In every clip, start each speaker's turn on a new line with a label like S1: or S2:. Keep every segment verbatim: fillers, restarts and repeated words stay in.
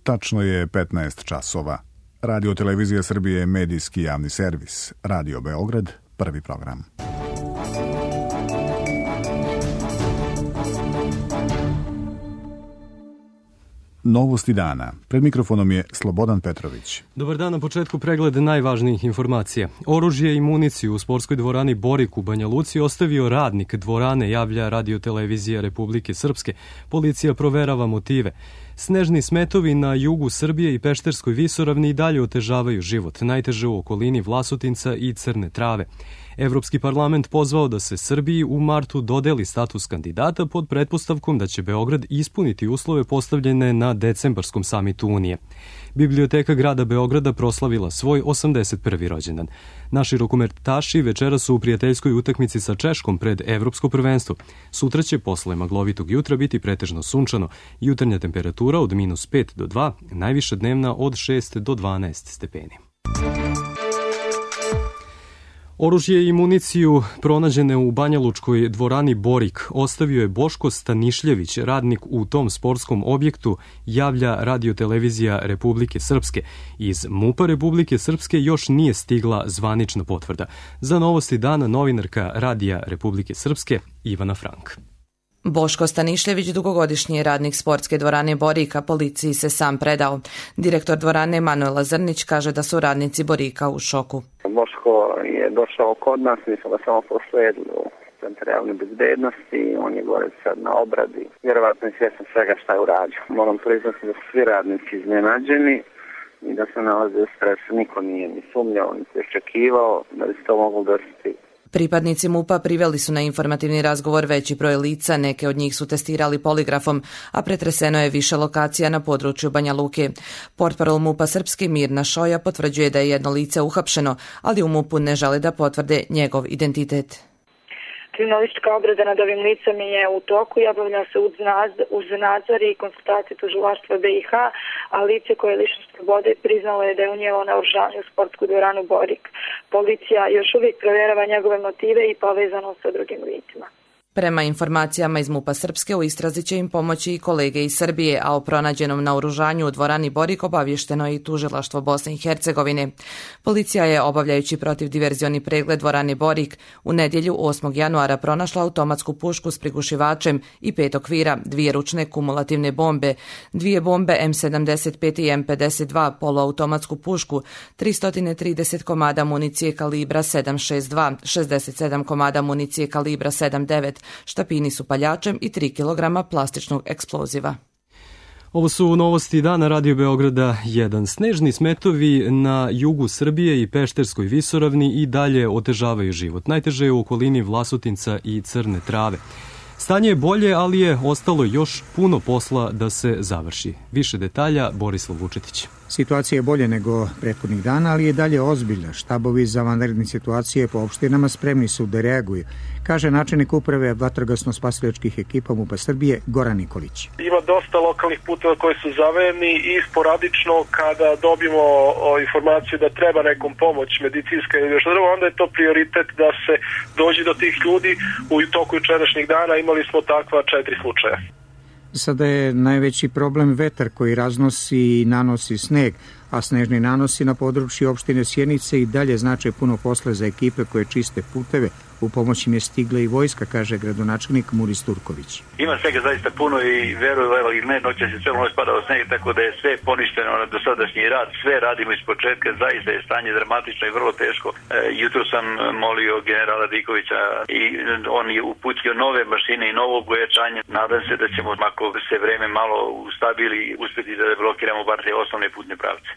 S1: Tačno je petnaest časova. Radio Televizija Srbije je medijski javni servis. Radio Beograd, prvi program. Novosti dana. Pred mikrofonom je Slobodan Petrović.
S2: Dobar dan, na početku pregled najvažnijih informacija. Oružje i municiju u sportskoj dvorani Borik u Banja Luci ostavio radnik dvorane, javlja Radio Televizija Republike Srpske. Policija proverava motive. Snežni smetovi na jugu Srbije i Pešterskoj visoravni i dalje otežavaju život, najteže u okolini Vlasotinca i Crne Trave. Evropski parlament pozvao da se Srbiji u martu dodeli status kandidata pod pretpostavkom da će Beograd ispuniti uslove postavljene na decembarskom samitu Unije. Biblioteka grada Beograda proslavila svoj osamdeset prvi rođendan. Naši rukometaši večera su u prijateljskoj utakmici sa Češkom pred Evropsko prvenstvo. Sutra će posle maglovitog jutra biti pretežno sunčano. Jutarnja temperatura od minus pet do dva, najviša dnevna od šest do dvanaest stepeni. Oružje i municiju pronađene u banjalučkoj dvorani Borik ostavio je Boško Stanišljević, radnik u tom sportskom objektu, javlja Radio Televizija Republike Srpske. Iz MUP-a Republike Srpske još nije stigla zvanična potvrda. Za Novosti dana novinarka Radija Republike Srpske Ivana Frank.
S3: Boško Stanišljević, dugogodišnji radnik sportske dvorane Borika, policiji se sam predao. Direktor dvorane Manuela Zrnić kaže da su radnici Borika u šoku.
S4: Boško je došao kod nas, mi smo ga samo prosledili u Centar javne bezbednosti, on je gore sad na obradi. Vjerovatno je svjestan svega šta je uradio. Moram priznati da su svi radnici iznenađeni i da se nalaze u stresu. Niko nije ni sumnjao, ni se očekivao da bi se to moglo desiti.
S3: Pripadnici MUP-a priveli su na informativni razgovor veći broj lica, neke od njih su testirali poligrafom, a pretreseno je više lokacija na području Banja Luke. Portparol MUP-a Srpski Mirna Šoja potvrđuje da je jedno lice uhapšeno, ali u MUP-u ne žele da potvrde njegov identitet.
S5: Kriminalistička obrada nad ovim licem je u toku i obavlja se uz nadzor i konsultacije tužilaštva B i H, a lice koje je lišeno slobode priznalo je da je unijelo naoružanje u sportsku dvoranu Borik. Policija još uvijek provjerava njegove motive i povezano sa drugim licima.
S3: Prema informacijama iz MUP-a Srpske, u istrazi će im pomoći i kolege iz Srbije, a o pronađenom naoružanju u dvorani Borik obavješteno je i tužilaštvo Bosne i Hercegovine. Policija je, obavljajući protivdiverzioni pregled dvorane Borik, u nedjelju osmog januara pronašla automatsku pušku s prigušivačem i pet okvira, dvije ručne kumulativne bombe, dvije bombe M sedamdeset pet i M pedeset dva, poluautomatsku pušku, tristo trideset komada municije kalibra sedam šezdeset dva, šezdeset sedam komada municije kalibra sedam devet, štapini s upaljačem i tri kilograma plastičnog eksploziva.
S2: Ovo su novosti dana Radio Beograda jedan. Snežni smetovi na jugu Srbije i Pešterskoj visoravni i dalje otežavaju život. Najteže je u okolini Vlasotinca i Crne Trave. Stanje je bolje, ali je ostalo još puno posla da se završi. Više detalja Borislav Vučetić.
S6: Situacija je bolje nego prethodnih dana, ali je dalje ozbiljna. Štabovi za vanredne situacije po opštinama spremni su da reaguju, kaže načelnik uprave vatrogasno-spasilačkih ekipa MUP-a Srbije Goran Nikolić.
S7: Ima dosta lokalnih puteva koji su zavejani i sporadično kada dobijemo o, informaciju da treba nekom pomoć medicinska ili još drugo, onda je to prioritet da se dođe do tih ljudi. U toku jučerašnjih dana imali smo takva četiri slučaja.
S6: Sada je najveći problem vetar koji raznosi i nanosi sneg, a snežni nanosi na području opštine Sjenice i dalje znače puno posla za ekipe koje čiste puteve. U pomoć im je stigla i vojska, kaže gradonačelnik Muris Turković.
S8: Ima svega zaista puno i veruju, evo i ne, noće se sve ono spadao sneg, tako da je sve poništeno na dosadašnji rad, sve radimo iz početka, zaista je stanje dramatično i vrlo teško. E, jutro sam molio generala Dikovića i on je uputio nove mašine i novo bojačanje. Nadam se da ćemo, ako se vreme malo ustabili, uspjeti da blokiramo bar te osnovne putne pravce.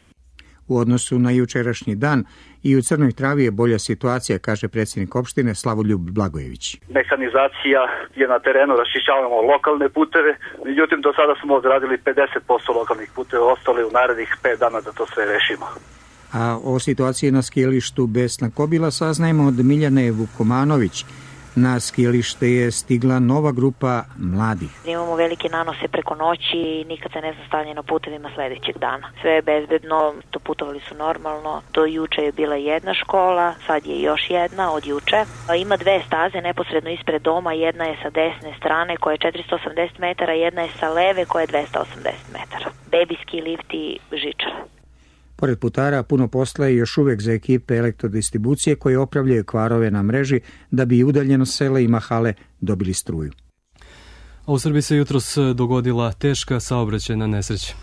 S6: U odnosu na jučerašnji dan i u Crnoj Travi je bolja situacija, kaže predsjednik opštine Slavoljub Blagojević.
S9: Mehanizacija je na terenu, raščišćavamo lokalne puteve, međutim do sada smo odradili pedeset posto lokalnih puteva, ostali u narednih pet dana da to sve rešimo.
S6: A o situaciji na skijalištu Besna Kobila saznajemo od Miljane Vukomanović, Na skijalište je stigla nova grupa mladih.
S10: Imamo velike nanose preko noći i nikad se ne zna stanje na putevima sledećeg dana. Sve je bezbedno, to putovali su normalno. Do juče je bila jedna škola, sad je još jedna od juče. Ima dve staze neposredno ispred doma, jedna je sa desne strane koja je četiristo osamdeset metara, jedna je sa leve koja je dvesta osamdeset metara. Bebijski lift i žičara.
S6: Pored putara, puno posla je još uvek za ekipe elektrodistribucije koje opravljaju kvarove na mreži da bi udaljeno sela i mahale dobili struju.
S2: A u Srbiji se jutros dogodila teška saobraćajna nesreća.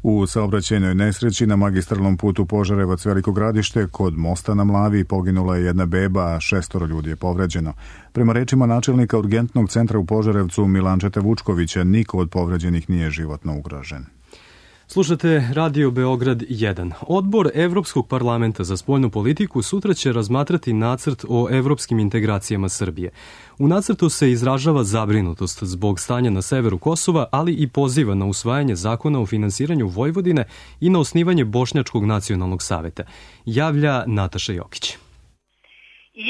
S1: U saobraćajnoj nesreći na magistralnom putu Požarevac-Veliko Gradište kod mosta na Mlavi poginula je jedna beba, a šestoro ljudi je povređeno. Prema rečima načelnika urgentnog centra u Požarevcu Milančeta Vučkovića, niko od povređenih nije životno ugrožen.
S2: Slušate Radio Beograd jedan. Odbor Evropskog parlamenta za spoljnu politiku sutra će razmatrati nacrt o evropskim integracijama Srbije. U nacrtu se izražava zabrinutost zbog stanja na severu Kosova, ali i poziva na usvajanje zakona o finansiranju Vojvodine i na osnivanje Bošnjačkog nacionalnog saveta. Javlja Nataša Jokić.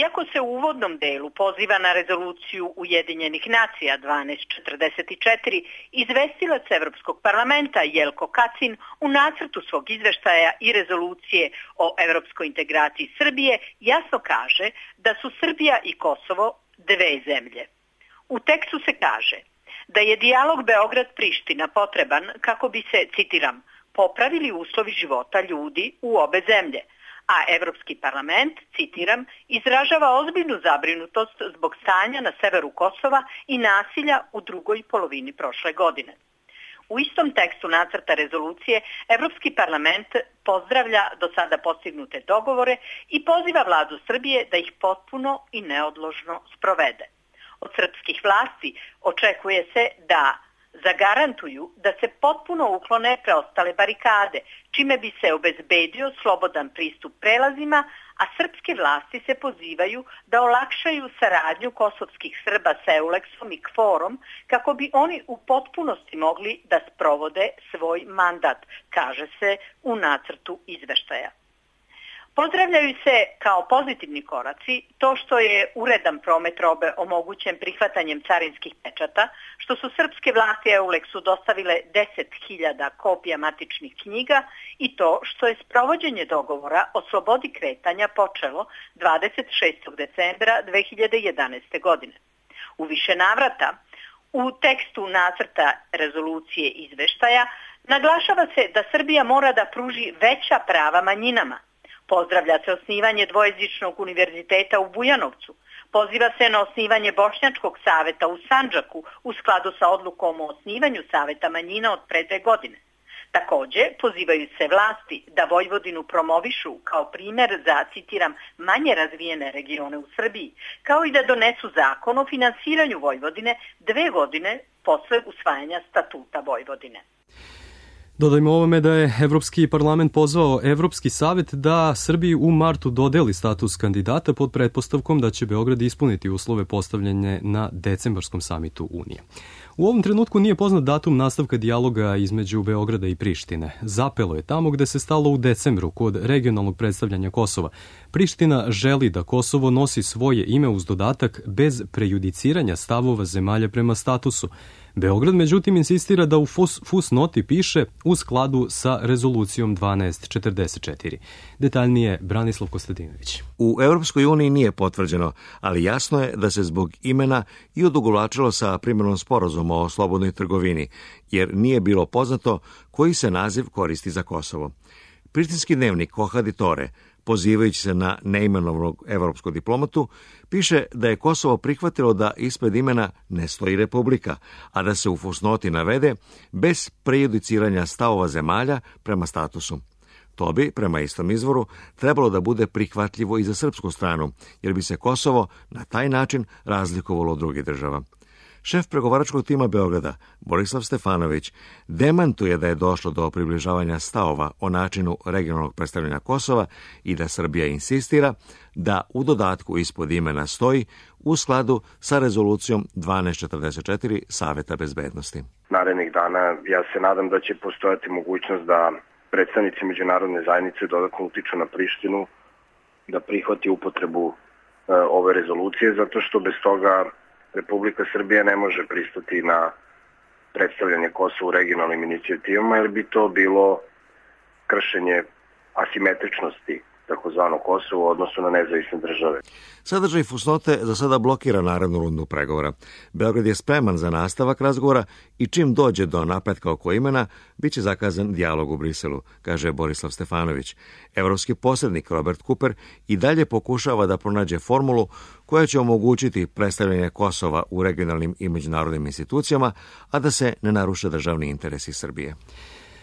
S11: Iako se u uvodnom delu poziva na rezoluciju Ujedinjenih nacija dvanaest četrdeset četiri, izvestilac Evropskog parlamenta Jelko Kacin u nacrtu svog izveštaja i rezolucije o evropskoj integraciji Srbije jasno kaže da su Srbija i Kosovo dve zemlje. U tekstu se kaže da je dijalog Beograd-Priština potreban kako bi se, citiram, popravili uslovi života ljudi u obe zemlje, a Evropski parlament, citiram, izražava ozbiljnu zabrinutost zbog stanja na severu Kosova i nasilja u drugoj polovini prošle godine. U istom tekstu nacrta rezolucije Evropski parlament pozdravlja do sada postignute dogovore i poziva vladu Srbije da ih potpuno i neodložno sprovede. Od srpskih vlasti očekuje se da zagarantuju da se potpuno uklone preostale barikade, čime bi se obezbedio slobodan pristup prelazima, a srpske vlasti se pozivaju da olakšaju saradnju kosovskih Srba sa Euleksom i Kforom kako bi oni u potpunosti mogli da sprovode svoj mandat, kaže se u nacrtu izveštaja. Pozdravljaju se kao pozitivni koraci to što je uredan promet robe omogućen prihvatanjem carinskih pečata, što su srpske vlasti Euleksu dostavile deset hiljada kopija matičnih knjiga i to što je sprovođenje dogovora o slobodi kretanja počelo dvadeset šestog decembra dve hiljade jedanaeste. godine. U više navrata u tekstu nacrta rezolucije izveštaja naglašava se da Srbija mora da pruži veća prava manjinama. Pozdravlja se osnivanje dvojezičnog univerziteta u Bujanovcu. Poziva se na osnivanje Bošnjačkog saveta u Sandžaku u skladu sa odlukom o osnivanju saveta manjina od pre dve godine. Takođe, pozivaju se vlasti da Vojvodinu promovišu kao primer za, citiram, manje razvijene regione u Srbiji, kao i da donesu zakon o finansiranju Vojvodine dve godine posle usvajanja statuta Vojvodine.
S2: Dodajmo ovome da je Evropski parlament pozvao Evropski savet da Srbiji u martu dodeli status kandidata pod pretpostavkom da će Beograd ispuniti uslove postavljene na decembarskom samitu Unije. U ovom trenutku nije poznat datum nastavka dijaloga između Beograda i Prištine. Zapelo je tamo gde se stalo u decembru kod regionalnog predstavljanja Kosova. Priština želi da Kosovo nosi svoje ime uz dodatak bez prejudiciranja stavova zemalja prema statusu. Beograd, međutim, insistira da u fus, fus noti piše u skladu sa rezolucijom dvanaest četrdeset četiri. Detaljnije Branislav Kostadinović.
S12: U Evropskoj uniji nije potvrđeno, ali jasno je da se zbog imena i odugovlačilo sa primjenom sporazuma o slobodnoj trgovini, jer nije bilo poznato koji se naziv koristi za Kosovo. Prištinski dnevnik Kohaditore, pozivajući se na neimenovanog evropskog diplomatu, piše da je Kosovo prihvatilo da ispred imena ne stoji republika, a da se u fusnoti navede bez prejudiciranja stavova zemalja prema statusu. To bi, prema istom izvoru, trebalo da bude prihvatljivo i za srpsku stranu, jer bi se Kosovo na taj način razlikovalo od drugih država. Šef pregovaračkog tima Beograda, Borislav Stefanović, demantuje da je došlo do približavanja stavova o načinu regionalnog predstavljanja Kosova i da Srbija insistira da u dodatku ispod imena stoji u skladu sa rezolucijom dvanaest četrdeset četiri Saveta bezbednosti.
S13: Narednih dana ja se nadam da će postojati mogućnost da predstavnici međunarodne zajednice dodatno utiču na Prištinu da prihvati upotrebu ove rezolucije, zato što bez toga Republika Srbija ne može pristati na predstavljanje Kosova u regionalnim inicijativama, jer bi to bilo kršenje asimetričnosti takozvano Kosovo u odnosu na nezavisne države.
S12: Sadržaj fusnote za sada blokira narednu rundu pregovora. Beograd je spreman za nastavak razgovora i čim dođe do napretka oko imena, bit će zakazan dijalog u Briselu, kaže Borislav Stefanović. Evropski posrednik Robert Cooper i dalje pokušava da pronađe formulu koja će omogućiti predstavljanje Kosova u regionalnim i međunarodnim institucijama, a da se ne naruše državni interesi Srbije.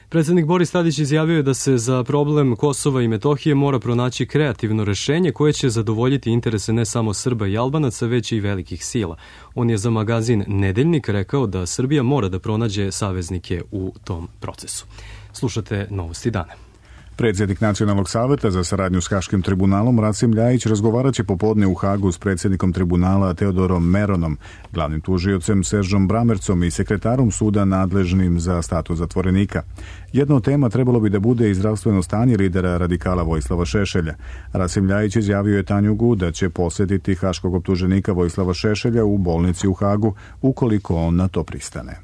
S2: Predsednik Boris Tadić izjavio je da se za problem Kosova i Metohije mora pronaći kreativno rešenje koje će zadovoljiti interese ne samo Srba i Albanaca, već i velikih sila. On je za magazin Nedeljnik rekao da Srbija mora da pronađe saveznike u tom procesu. Slušate Novosti dana.
S1: Predsjednik Nacionalnog saveta za saradnju s Haškim tribunalom Rasim Ljajić razgovarat će popodne u Hagu s predsjednikom tribunala Teodorom Meronom, glavnim tužiocem Seržom Bramercom i sekretarom suda nadležnim za status zatvorenika. Jedna od tema trebalo bi da bude i zdravstveno stanje lidera radikala Vojislava Šešelja. Rasim Ljajić izjavio je Tanjugu da će posjetiti haškog optuženika Vojislava Šešelja u bolnici u Hagu ukoliko on na to pristane.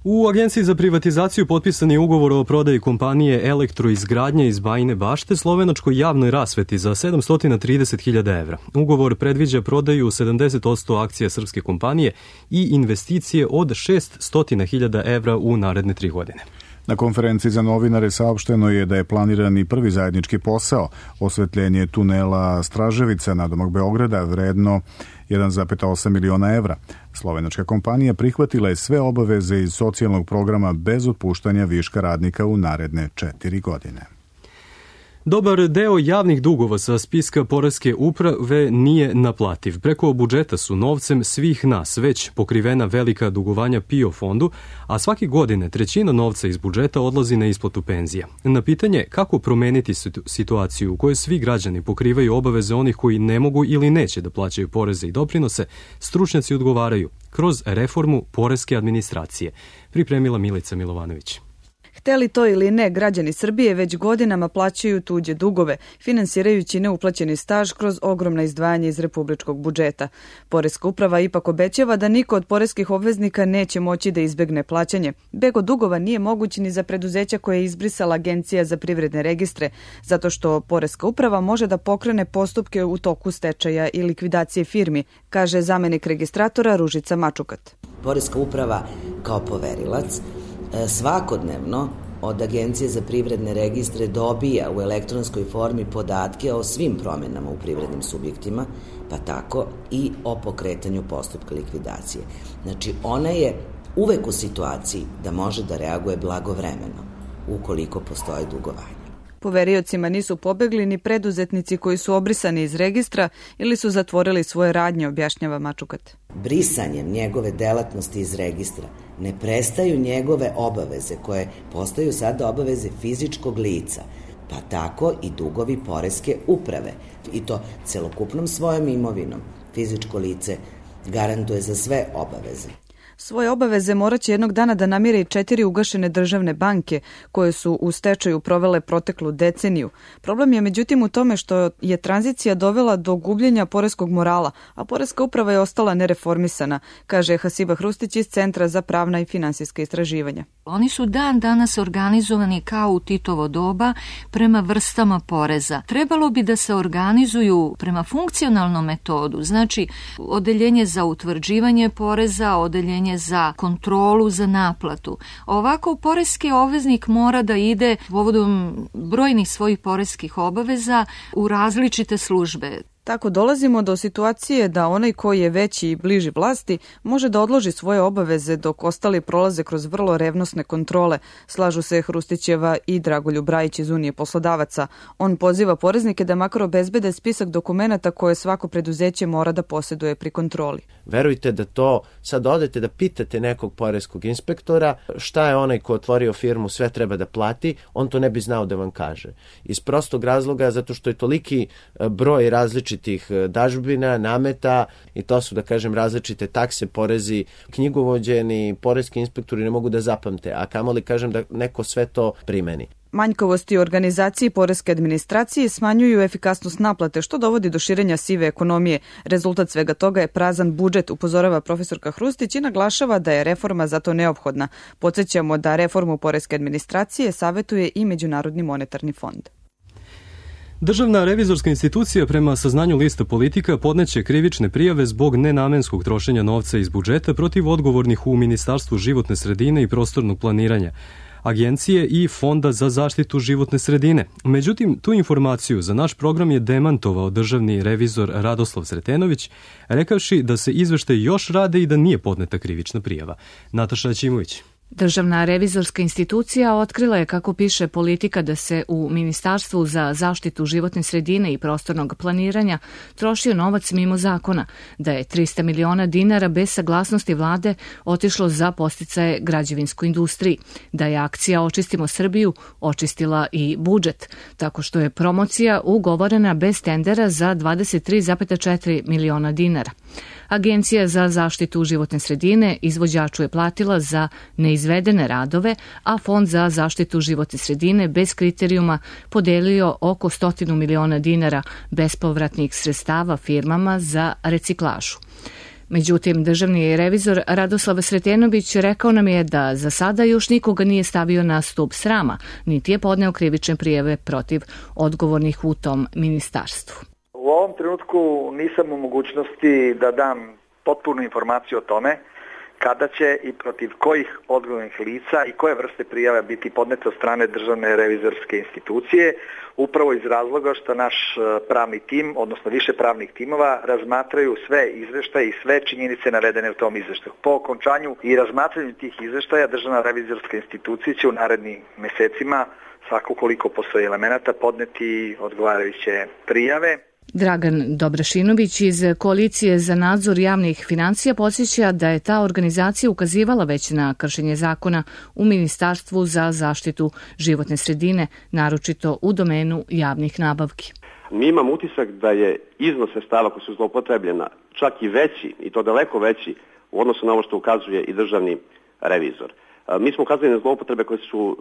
S2: U Agenciji za privatizaciju potpisan je ugovor o prodaji kompanije Elektroizgradnje iz Bajine Bašte slovenačkoj javnoj rasveti za sedamsto trideset hiljada evra. Ugovor predviđa prodaju sedamdeset posto akcija srpske kompanije i investicije od šeststo hiljada evra u naredne tri godine.
S1: Na konferenciji za novinare saopšteno je da je planiran i prvi zajednički posao, osvetljenje tunela Straževica nadomak Beograda, vredno jedan zarez osam miliona evra. Slovenačka kompanija prihvatila je sve obaveze iz socijalnog programa bez otpuštanja viška radnika u naredne četiri godine.
S2: Dobar deo javnih dugova sa spiska poreske uprave nije naplativ. Preko budžeta su novcem svih nas već pokrivena velika dugovanja P I O fondu, a svake godine trećina novca iz budžeta odlazi na isplatu penzija. Na pitanje kako promeniti situaciju u kojoj svi građani pokrivaju obaveze onih koji ne mogu ili neće da plaćaju poreze i doprinose, stručnjaci odgovaraju kroz reformu poreske administracije. Pripremila Milica Milovanović.
S14: Hteli to ili ne, građani Srbije već godinama plaćaju tuđe dugove, finansirajući neuplaćeni staž kroz ogromna izdvajanja iz republičkog budžeta. Poreska uprava ipak obećava da niko od poreskih obveznika neće moći da izbegne plaćanje. Beg od dugova nije moguć ni za preduzeća koje je izbrisala Agencija za privredne registre, zato što Poreska uprava može da pokrene postupke u toku stečaja i likvidacije firmi, kaže zamenik registratora Ružica Mačukat.
S15: Poreska uprava kao poverilac svakodnevno od Agencije za privredne registre dobija u elektronskoj formi podatke o svim promenama u privrednim subjektima, pa tako i o pokretanju postupka likvidacije. Znači, ona je uvek u situaciji da može da reaguje blagovremeno ukoliko postoje dugovanja.
S14: Poveriocima nisu pobegli ni preduzetnici koji su obrisani iz registra ili su zatvorili svoje radnje, objašnjava Mačukat.
S15: Brisanjem njegove delatnosti iz registra ne prestaju njegove obaveze koje postaju sada obaveze fizičkog lica, pa tako i dugovi poreske uprave. I to celokupnom svojom imovinom fizičko lice garantuje za sve obaveze.
S14: Svoje obaveze moraće jednog dana da namire i četiri ugašene državne banke koje su u stečaju provele proteklu deceniju. Problem je međutim u tome što je tranzicija dovela do gubljenja poreskog morala, a poreska uprava je ostala nereformisana, kaže Hasiba Hrustić iz Centra za pravna i finansijska istraživanja.
S16: Oni su dan danas organizovani kao u Titovo doba prema vrstama poreza. Trebalo bi da se organizuju prema funkcionalnom metodu, znači odeljenje za utvrđivanje poreza, odeljenje za kontrolu, za naplatu. Ovako, poreski obveznik mora da ide povodom brojnih svojih poreskih obaveza u različite službe.
S14: Tako dolazimo do situacije da onaj koji je veći i bliži vlasti može da odloži svoje obaveze dok ostali prolaze kroz vrlo revnosne kontrole, slažu se Hrustićeva i Dragoljub Brajić iz Unije poslodavaca. On poziva poreznike da makar obezbede spisak dokumenata koje svako preduzeće mora da posjeduje pri kontroli.
S17: Verujte da to, sad odete da pitate nekog poreskog inspektora šta je onaj ko otvorio firmu sve treba da plati, on to ne bi znao da vam kaže. Iz prostog razloga zato što je toliki broj različitih različitih dažbina, nameta i to su, da kažem, različite takse, porezi, knjigovođeni, poreski inspektori ne mogu da zapamte, a kamoli, kažem, da neko sve to primeni.
S14: Manjkavosti u organizaciji poreske administracije smanjuju efikasnost naplate, što dovodi do širenja sive ekonomije. Rezultat svega toga je prazan budžet, upozorava profesorka Hrustić i naglašava da je reforma zato neophodna. Podsjećamo da reformu poreske administracije savetuje i Međunarodni monetarni fond.
S2: Državna revizorska institucija prema saznanju lista Politika podneće krivične prijave zbog nenamenskog trošenja novca iz budžeta protiv odgovornih u Ministarstvu životne sredine i prostornog planiranja, Agencije i Fonda za zaštitu životne sredine. Međutim, tu informaciju za naš program je demantovao državni revizor Radoslav Sretenović, rekavši da se izveštaj još rade i da nije podneta krivična prijava. Nataša Aćimović.
S18: Državna revizorska institucija otkrila je, kako piše Politika, da se u Ministarstvu za zaštitu životne sredine i prostornog planiranja trošio novac mimo zakona, da je trista miliona dinara bez saglasnosti vlade otišlo za podsticaje građevinskoj industriji, da je akcija Očistimo Srbiju očistila i budžet, tako što je promocija ugovorena bez tendera za dvadeset tri zarez četiri miliona dinara. Agencija za zaštitu životne sredine izvođaču je platila za neizvedene radove, a Fond za zaštitu životne sredine bez kriterijuma podelio oko stotinu miliona dinara bespovratnih sredstava firmama za reciklažu. Međutim, državni revizor Radoslav Sretenović rekao nam je da za sada još nikoga nije stavio na stup srama, niti je podneo krivične prijave protiv odgovornih u tom ministarstvu.
S19: U ovom trenutku nisam u mogućnosti da dam potpunu informaciju o tome kada će i protiv kojih odgovornih lica i koje vrste prijava biti podnete od strane Državne revizorske institucije, upravo iz razloga što naš pravni tim, odnosno više pravnih timova, razmatraju sve izveštaje i sve činjenice navedene u tom izveštaju. Po okončanju i razmatranju tih izveštaja Državna revizorska institucija će u narednim mesecima, svako koliko postoji elemenata, podneti odgovarajuće prijave.
S18: Dragan Dobrašinović iz Koalicije za nadzor javnih financija podsjeća da je ta organizacija ukazivala već na kršenje zakona u Ministarstvu za zaštitu životne sredine, naročito u domenu javnih nabavki.
S20: Mi imamo utisak da je iznos sredstava koji su zloupotrebljena čak i veći, i to daleko veći, u odnosu na ovo što ukazuje i državni revizor. Mi smo ukazali na zloupotrebe koje su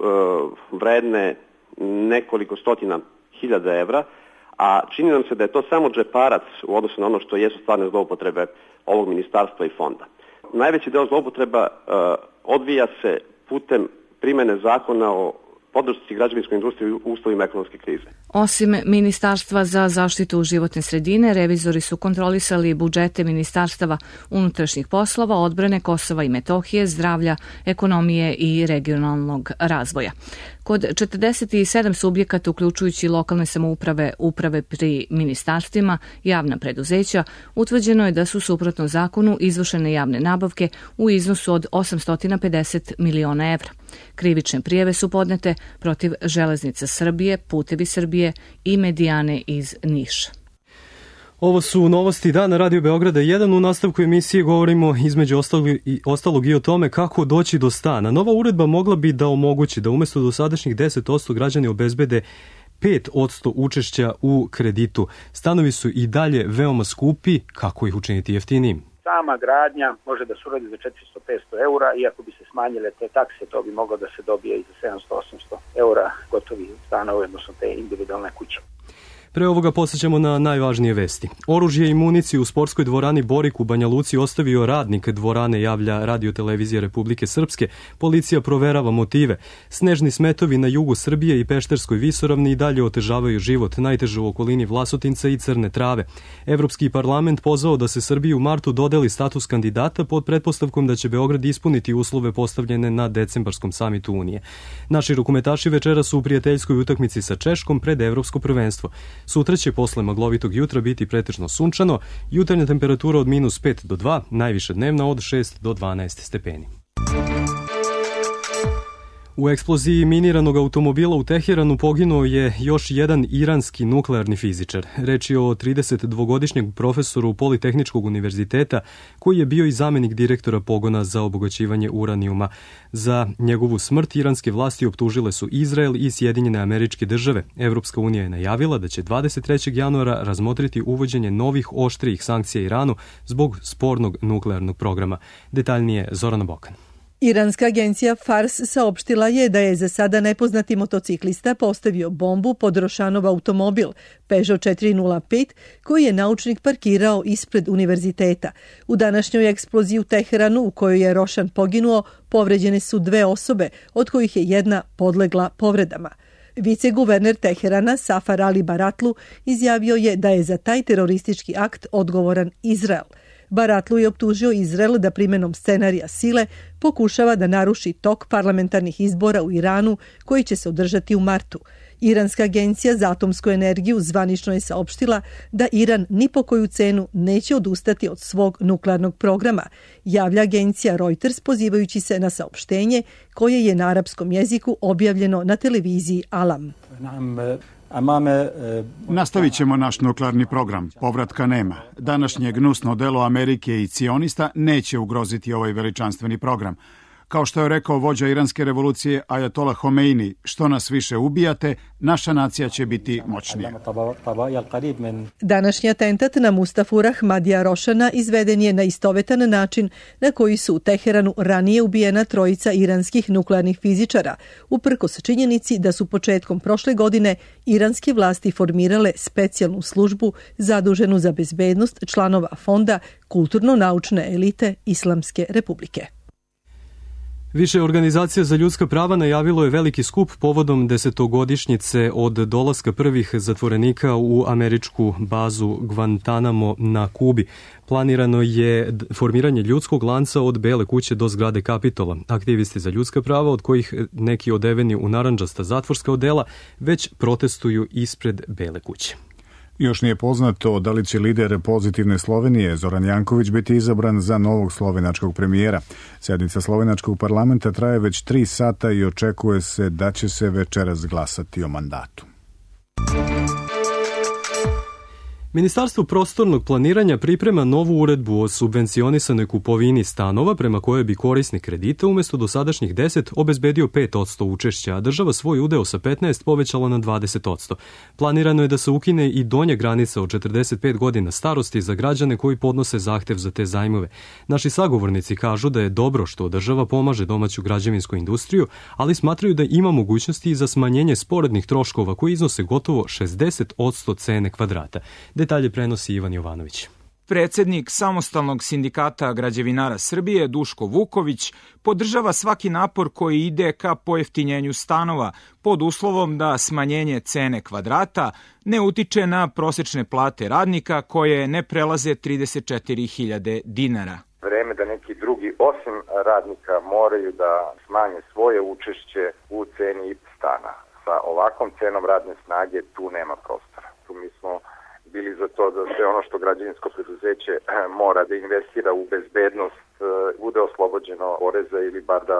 S20: vredne nekoliko stotina hiljada evra, a čini nam se da je to samo džeparac u odnosu na ono što jesu stvarne zloupotrebe ovog ministarstva i fonda. Najveći deo zloupotreba uh, odvija se putem primene zakona o podršci građevinskoj industriji u uslovima ekonomske krize.
S18: Osim Ministarstva za zaštitu životne sredine, revizori su kontrolisali budžete ministarstava unutrašnjih poslova, odbrane Kosova i Metohije, zdravlja, ekonomije i regionalnog razvoja. Kod četrdeset sedam subjekata, uključujući lokalne samouprave, uprave pri ministarstvima, javna preduzeća, utvrđeno je da su suprotno zakonu izvršene javne nabavke u iznosu od osamsto pedeset miliona evra. Krivične prijave su podnete protiv Železnica Srbije, Putevi Srbije i Medijane iz Niša.
S2: Ovo su novosti dana Radio Beograda jedan. U nastavku emisije govorimo između ostalog i, ostalog i o tome kako doći do stana. Nova uredba mogla bi da omogući da umesto dosadašnjih deset posto građani obezbede pet posto učešća u kreditu. Stanovi su i dalje veoma skupi, kako ih učiniti jeftinijim?
S21: Sama gradnja može da se uradi za četiristo do petsto eura, iako bi se smanjile te takse, to bi moglo da se dobije i za sedamsto do osamsto eura gotovi stanovi, odnosno te individualne kuće.
S2: Pre ovoga posjećamo na najvažnije vesti. Oružje i municiju u sportskoj dvorani Borik u Banja Luci ostavio radnik dvorane, javlja Radio-televizija Republike Srpske. Policija proverava motive. Snežni smetovi na jugu Srbije i Pešterskoj visoravni i dalje otežavaju život, najteže u okolini Vlasotinca i Crne Trave. Evropski parlament pozvao da se Srbiji u martu dodeli status kandidata pod pretpostavkom da će Beograd ispuniti uslove postavljene na decembarskom samitu Unije. Naši rukometaši večera su u prijateljskoj utakmici sa Češkom pred Evropsko prvenstvo. Sutra će posle maglovitog jutra biti pretežno sunčano, jutarnja temperatura od minus pet do dva, najviše dnevna od šest do dvanaest stepeni. U eksploziji miniranog automobila u Teheranu poginuo je još jedan iranski nuklearni fizičar. Reč je o tridesetdvogodišnjeg profesoru Politehničkog univerziteta koji je bio i zamenik direktora pogona za obogaćivanje uranijuma. Za njegovu smrt iranske vlasti optužile su Izrael i Sjedinjene Američke Države. Evropska unija je najavila da će dvadeset trećeg januara razmotriti uvođenje novih oštrijih sankcija Iranu zbog spornog nuklearnog programa. Detaljnije Zorana Bokan.
S4: Iranska agencija Fars saopštila je da je za sada nepoznati motociklista postavio bombu pod Rošanov automobil Peugeot četiri nula pet koji je naučnik parkirao ispred univerziteta. U današnjoj eksploziji u Teheranu u kojoj je Rošan poginuo povređene su dve osobe, od kojih je jedna podlegla povredama. Viceguverner Teherana Safar Ali Baratlu izjavio je da je za taj teroristički akt odgovoran Izrael. Baratlu je optužio Izrael da primjenom scenarija sile pokušava da naruši tok parlamentarnih izbora u Iranu koji će se održati u martu. Iranska agencija za atomsku energiju zvanično je saopštila da Iran ni po koju cenu neće odustati od svog nuklearnog programa, javlja agencija Reuters pozivajući se na saopštenje koje je na arapskom jeziku objavljeno na televiziji Alam.
S22: Nastavit ćemo naš nuklearni program. Povratka nema. Današnje gnusno delo Amerike i cionista neće ugroziti ovaj veličanstveni program. Kao što je rekao vođa iranske revolucije Ajatola Homeini, što nas više ubijate, naša nacija će biti moćnija.
S4: Današnji atentat na Mustafu Ahmadija Rošana izveden je na istovetan način na koji su u Teheranu ranije ubijena trojica iranskih nuklearnih fizičara, uprkos činjenici da su početkom prošle godine iranske vlasti formirale specijalnu službu zaduženu za bezbednost članova fonda kulturno-naučne elite Islamske republike.
S2: Više organizacija za ljudska prava najavilo je veliki skup povodom desetogodišnjice od dolaska prvih zatvorenika u američku bazu Guantanamo na Kubi. Planirano je formiranje ljudskog lanca od Bele kuće do zgrade Kapitola. Aktivisti za ljudska prava, od kojih neki odeveni u narandžasta zatvorska odela, već protestuju ispred Bele kuće.
S1: Još nije poznato da li će lider Pozitivne Slovenije Zoran Janković biti izabran za novog slovenačkog premijera. Sjednica slovenačkog parlamenta traje već tri sata i očekuje se da će se večeras glasati o mandatu.
S2: Ministarstvo prostornog planiranja priprema novu uredbu o subvencionisanoj kupovini stanova prema kojoj bi korisnik kredita umjesto dosadašnjih deset obezbedio pet posto učešća, a država svoj udeo sa petnaest povećala na dvadeset posto. Planirano je da se ukine i donja granica od četrdeset pet godina starosti za građane koji podnose zahtev za te zajmove. Naši sagovornici kažu da je dobro što država pomaže domaću građevinsku industriju, ali smatraju da ima mogućnosti i za smanjenje sporednih troškova koji iznose gotovo šezdeset posto cene kvadrata. Detalje prenosi Ivan Jovanović.
S23: Predsednik Samostalnog sindikata građevinara Srbije, Duško Vuković, podržava svaki napor koji ide ka pojeftinjenju stanova pod uslovom da smanjenje cene kvadrata ne utiče na prosečne plate radnika koje ne prelaze trideset četiri hiljade dinara.
S24: Vreme da neki drugi osim radnika moraju da smanje svoje učešće u ceni stana. Sa ovakvom cenom radne snage tu nema prostora. Tu mi smo bili za to da sve ono što građevinsko preduzeće mora da investira u bezbednost bude oslobođeno poreza ili bar da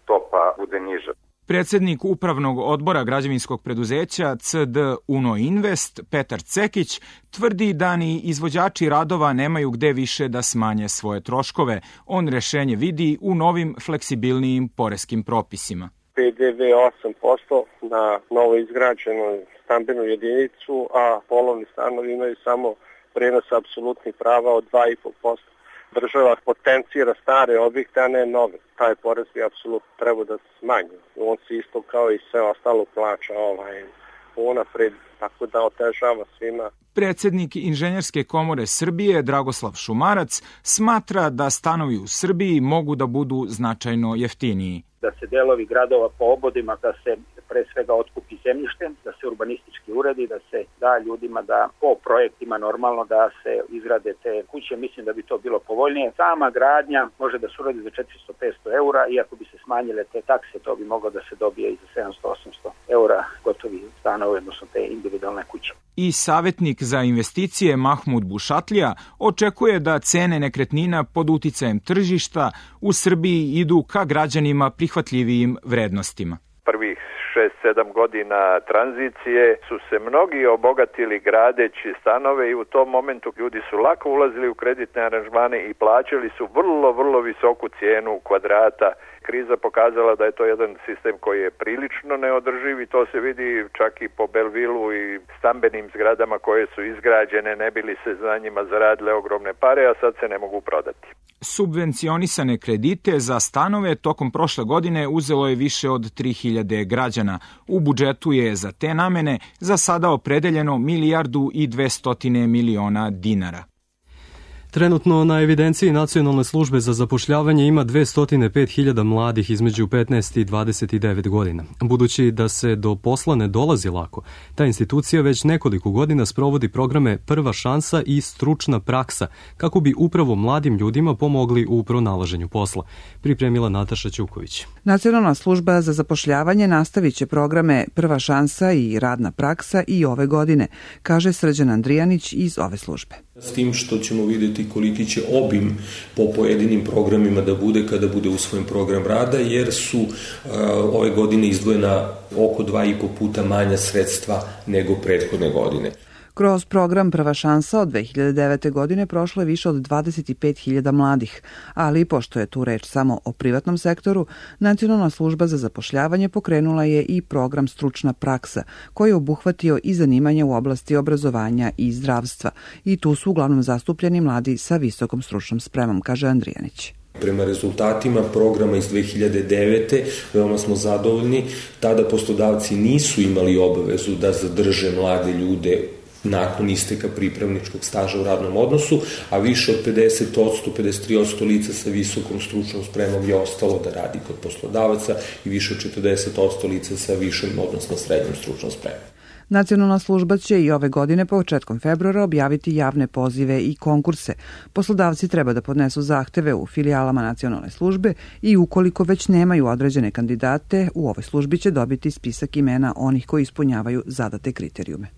S24: stopa bude niža.
S23: Predsednik upravnog odbora građevinskog preduzeća C D Uno Invest, Petar Cekić, tvrdi da ni izvođači radova nemaju gde više da smanje svoje troškove. On rešenje vidi u novim fleksibilnijim poreskim propisima.
S25: P D V osam posto na novo izgrađenoj stambenu jedinicu, a polovni stanovi imaju samo prenos apsolutnih prava od dva i po posto. Država potencira stare objekte, a ne nove. Taj porez bi apsolutno trebao da se smanji. On se isto kao i sve ostalo plaća ovaj, unapred, tako da otežava svima.
S23: Predsednik Inženjerske komore Srbije, Dragoslav Šumarac, smatra da stanovi u Srbiji mogu da budu značajno jeftiniji.
S21: Da se delovi gradova po obodima, da se pre svega otkupi zemljištem, da se urbanistički uredi, da se da ljudima da po projektima normalno da se izgrade te kuće. Mislim da bi to bilo povoljnije. Sama gradnja može da se uradi za četiristo do petsto eura, iako bi se smanjile te takse, to bi moglo da se dobije i za sedamsto do osamsto eura gotovi stanovi, odnosno te individualne kuće.
S23: I savjetnik za investicije Mahmud Bušatlija očekuje da cene nekretnina pod uticajem tržišta u Srbiji idu ka građanima prihvatljivijim vrednostima.
S3: Prvih šest sedam godina tranzicije su se mnogi obogatili gradeći stanove i u tom momentu ljudi su lako ulazili u kreditne aranžmane i plaćali su vrlo, vrlo visoku cijenu kvadrata. Kriza pokazala da je to jedan sistem koji je prilično neodrživ i to se vidi čak i po Belvilu i stambenim zgradama koje su izgrađene, ne bili se za njima zaradile ogromne pare, a sad se ne mogu prodati.
S23: Subvencionisane kredite za stanove tokom prošle godine uzelo je više od tri hiljade građana. U budžetu je za te namene za sada opredeljeno milijardu i dvestotine miliona dinara.
S2: Trenutno na evidenciji Nacionalne službe za zapošljavanje ima dvesta pet hiljada mladih između petnaest i dvadeset devet godina. Budući da se do posla ne dolazi lako, ta institucija već nekoliko godina sprovodi programe Prva šansa i Stručna praksa, kako bi upravo mladim ljudima pomogli u pronalaženju posla. Pripremila Nataša Ćuković.
S5: Nacionalna služba za zapošljavanje nastavit će programe Prva šansa i Radna praksa i ove godine, kaže Srđan Andrijanić iz ove službe.
S7: S tim što ćemo vidjeti koliki će obim po pojedinim programima da bude kada bude usvojen program rada, jer su uh, ove godine izdvojena oko dva i po puta manja sredstva nego prethodne godine.
S5: Kroz program Prva šansa od dve hiljade devete. godine prošlo je više od dvadeset pet hiljada mladih, ali pošto je tu reč samo o privatnom sektoru, Nacionalna služba za zapošljavanje pokrenula je i program Stručna praksa, koji je obuhvatio i zanimanja u oblasti obrazovanja i zdravstva. I tu su uglavnom zastupljeni mladi sa visokom stručnom spremom, kaže Andrijanić.
S7: Prema rezultatima programa iz dve hiljade devete. veoma smo zadovoljni. Tada poslodavci nisu imali obavezu da zadrže mlade ljude nakon isteka pripravničkog staža u radnom odnosu, a više od pedeset odsto, pedeset tri odsto lica sa visokom stručnom spremom je ostalo da radi kod poslodavaca i više od četrdeset odsto lica sa višom, odnosno srednjom stručnom spremom.
S5: Nacionalna služba će i ove godine početkom februara objaviti javne pozive i konkurse. Poslodavci treba da podnesu zahteve u filijalama Nacionalne službe i ukoliko već nemaju određene kandidate, u ovoj službi će dobiti spisak imena onih koji ispunjavaju zadate kriterijume.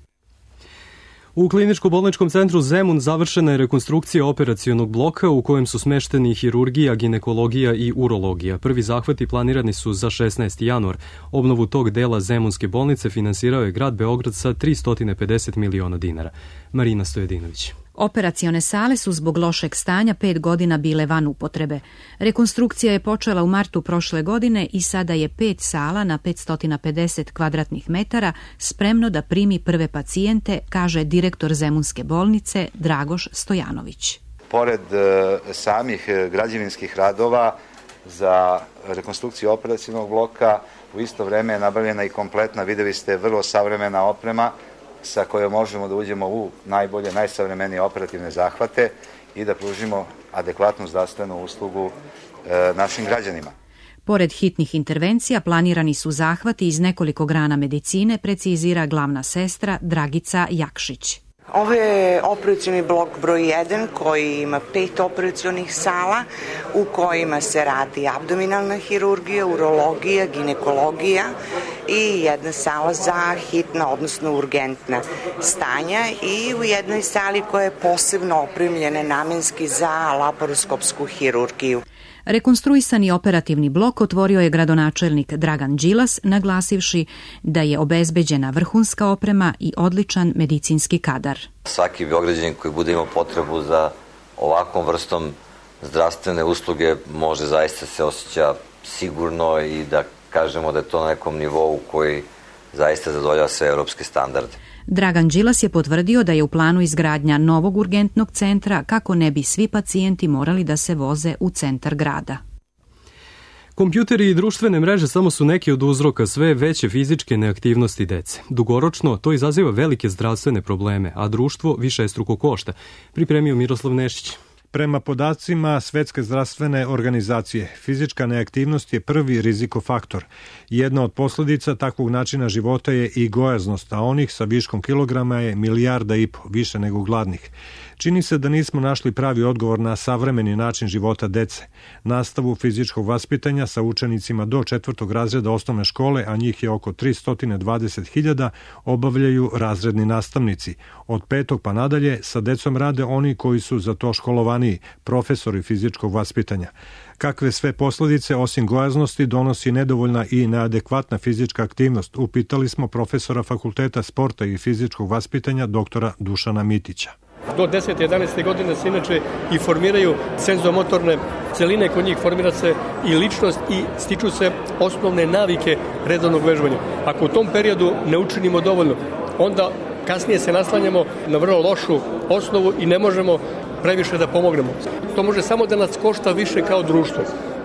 S2: U Kliničko-bolničkom centru Zemun završena je rekonstrukcija operacionog bloka u kojem su smešteni hirurgija, ginekologija i urologija. Prvi zahvati planirani su za šesnaesti januar. Obnovu tog dela Zemunske bolnice finansirao je grad Beograd sa tristo pedeset miliona dinara. Marina Stojedinović.
S8: Operacione sale su zbog lošeg stanja pet godina bile van upotrebe. Rekonstrukcija je počela u martu prošle godine i sada je pet sala na petsto pedeset kvadratnih metara spremno da primi prve pacijente, kaže direktor Zemunske bolnice Dragoš Stojanović.
S9: Pored e, samih građevinskih radova za rekonstrukciju operacionog bloka, u isto vreme je nabavljena i kompletna, videli ste, vrlo savremena oprema sa kojom možemo da uđemo u najbolje, najsavremenije operativne zahvate i da pružimo adekvatnu zdravstvenu uslugu e, našim građanima.
S8: Pored hitnih intervencija planirani su zahvati iz nekoliko grana medicine, precizira glavna sestra Dragica Jakšić.
S26: Ovo je operacioni blok broj jedan koji ima pet operacionih sala u kojima se radi abdominalna hirurgija, urologija, ginekologija i jedna sala za hitna, odnosno urgentna stanja i u jednoj sali koja je posebno opremljena namenski za laparoskopsku hirurgiju.
S8: Rekonstruisani operativni blok otvorio je gradonačelnik Dragan Đilas, naglasivši da je obezbeđena vrhunska oprema i odličan medicinski kadar.
S27: Svaki Beograđanin koji bude imao potrebu za ovakvom vrstom zdravstvene usluge može zaista se osjeća sigurno i da kažemo da je to na nekom nivou koji zaista zadovoljava sve evropske standarde.
S8: Dragan Đilas je potvrdio da je u planu izgradnja novog urgentnog centra kako ne bi svi pacijenti morali da se voze u centar grada.
S2: Kompjuteri i društvene mreže samo su neki od uzroka sve veće fizičke neaktivnosti dece. Dugoročno to izaziva velike zdravstvene probleme, a društvo višestruko košta, pripremio Miroslav Nešić.
S6: Prema podacima Svetske zdravstvene organizacije, fizička neaktivnost je prvi rizikofaktor. Jedna od posljedica takvog načina života je i gojaznost, a onih sa viškom kilograma je milijarda i po, više nego gladnih. Čini se da nismo našli pravi odgovor na savremeni način života dece. Nastavu fizičkog vaspitanja sa učenicima do četvrtog razreda osnovne škole, a njih je oko tristo dvadeset hiljada, obavljaju razredni nastavnici. Od petog pa nadalje sa decom rade oni koji su za to školovaniji, profesori fizičkog vaspitanja. Kakve sve posljedice osim gojaznosti donosi nedovoljna i neadekvatna fizička aktivnost, upitali smo profesora Fakulteta sporta i fizičkog vaspitanja doktora Dušana Mitića.
S10: Do desete jedanaeste godine se inače i formiraju senzomotorne celine, kod njih formira se i ličnost i stiču se osnovne navike redovnog vežbanja. Ako u tom periodu ne učinimo dovoljno, onda kasnije se naslanjamo na vrlo lošu osnovu i ne možemo previše da pomognemo. To može samo da nas košta više kao društvo.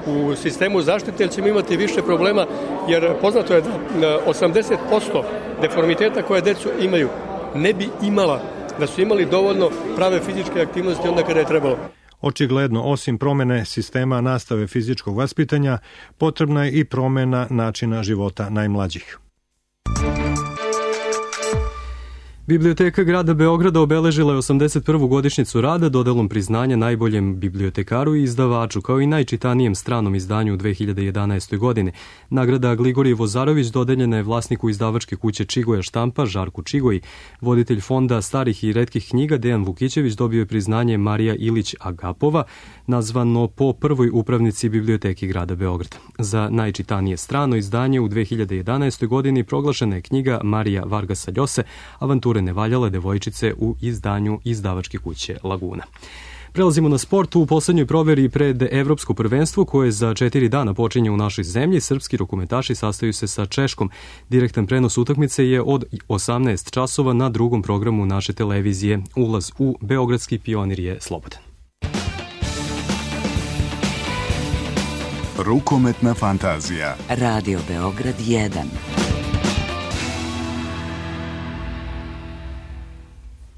S10: U sistemu zaštite ćemo imati više problema, jer poznato je da osamdeset posto deformiteta koje decu imaju ne bi imala da su imali dovoljno prave fizičke aktivnosti onda kada je trebalo.
S6: Očigledno, osim promene sistema nastave fizičkog vaspitanja, potrebna je i promena načina života najmlađih.
S2: Biblioteka grada Beograda obeležila je osamdeset prvu godišnjicu rada dodelom priznanja najboljem bibliotekaru i izdavaču, kao i najčitanijem stranom izdanju u dve hiljade jedanaestoj. godine. Nagrada Gligorije Vozarović dodeljena je vlasniku izdavačke kuće Čigoja štampa, Žarku Čigoji. Voditelj fonda starih i retkih knjiga Dejan Vukićević dobio je priznanje Marija Ilić Agapova, nazvano po prvoj upravnici Biblioteke grada Beograda. Za najčitanije strano izdanje u dve hiljade jedanaestoj. godini proglašena je knjiga Marija Vargasa Ljose, Avantura nevaljale devojčice u izdanju izdavačke kuće Laguna. Prelazimo na sport. U poslednjoj proveri pred Evropsko prvenstvo koje za četiri dana počinje u našoj zemlji. Srpski rukometaši sastaju se sa Češkom. Direktan prenos utakmice je od osamnaest časova na drugom programu naše televizije. Ulaz u Beogradski Pionir je slobodan.
S11: Rukometna fantazija.
S12: Radio Beograd jedan.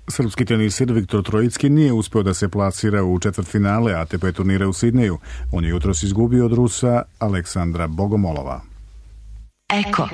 S1: Srpski tenisir Viktor Trojicki nije uspeo da se plasira u četvrtfinale A T P turnira u Sidneju. On je jutros izgubio od Rusa Aleksandra Bogomolova.
S13: Eko.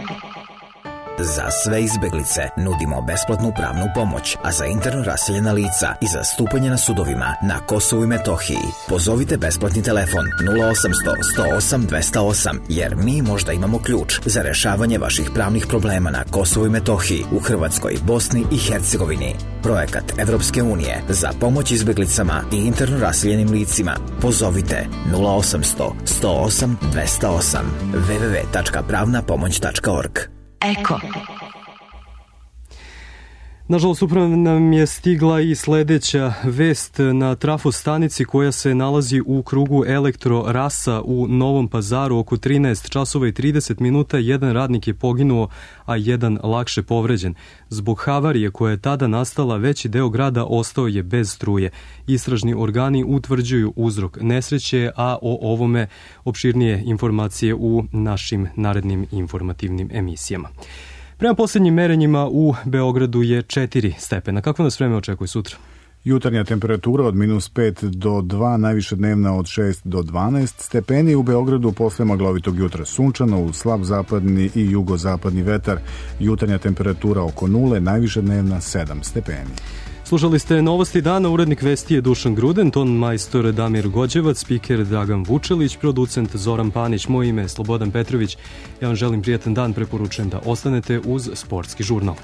S13: Za sve izbeglice nudimo besplatnu pravnu pomoć, a za interno raseljena lica i za stupanje na sudovima na Kosovu i Metohiji pozovite besplatni telefon nula osamsto sto osam dvesta osam, jer mi možda imamo ključ za rešavanje vaših pravnih problema na Kosovu i Metohiji, u Hrvatskoj, Bosni i Hercegovini. Projekat Evropske unije za pomoć izbeglicama i interno raseljenim licima. Pozovite nula osamsto sto osam dvesta osam w w w tačka pravna pomoć tačka org.
S12: Eko.
S2: Nažalost, upravo nam je stigla i sledeća vest na trafostanici koja se nalazi u krugu Elektro Rasa u Novom Pazaru. Oko trinaest časova i trideset minuta jedan radnik je poginuo, a jedan lakše povređen. Zbog havarije koja je tada nastala, veći deo grada ostao je bez struje. Istražni organi utvrđuju uzrok nesreće, a o ovome opširnije informacije u našim narednim informativnim emisijama. Prema posljednjim merenjima u Beogradu je četiri stepena. Kako nas vreme očekuje sutra?
S1: Jutarnja temperatura od minus pet do dva, najviše dnevna od šest do dvanaest stepeni. U Beogradu posle maglovitog jutra sunčano, uz slab zapadni i jugozapadni vetar. Jutarnja temperatura oko nule, najviše dnevna sedam stepeni.
S2: Slušali ste novosti dana, urednik vesti je Dušan Gruden, ton majstor Damir Gođevac, spiker Dragan Vučelić, producent Zoran Panić, moje ime je Slobodan Petrović. Ja vam želim prijatan dan, preporučujem da ostanete uz Sportski žurnal.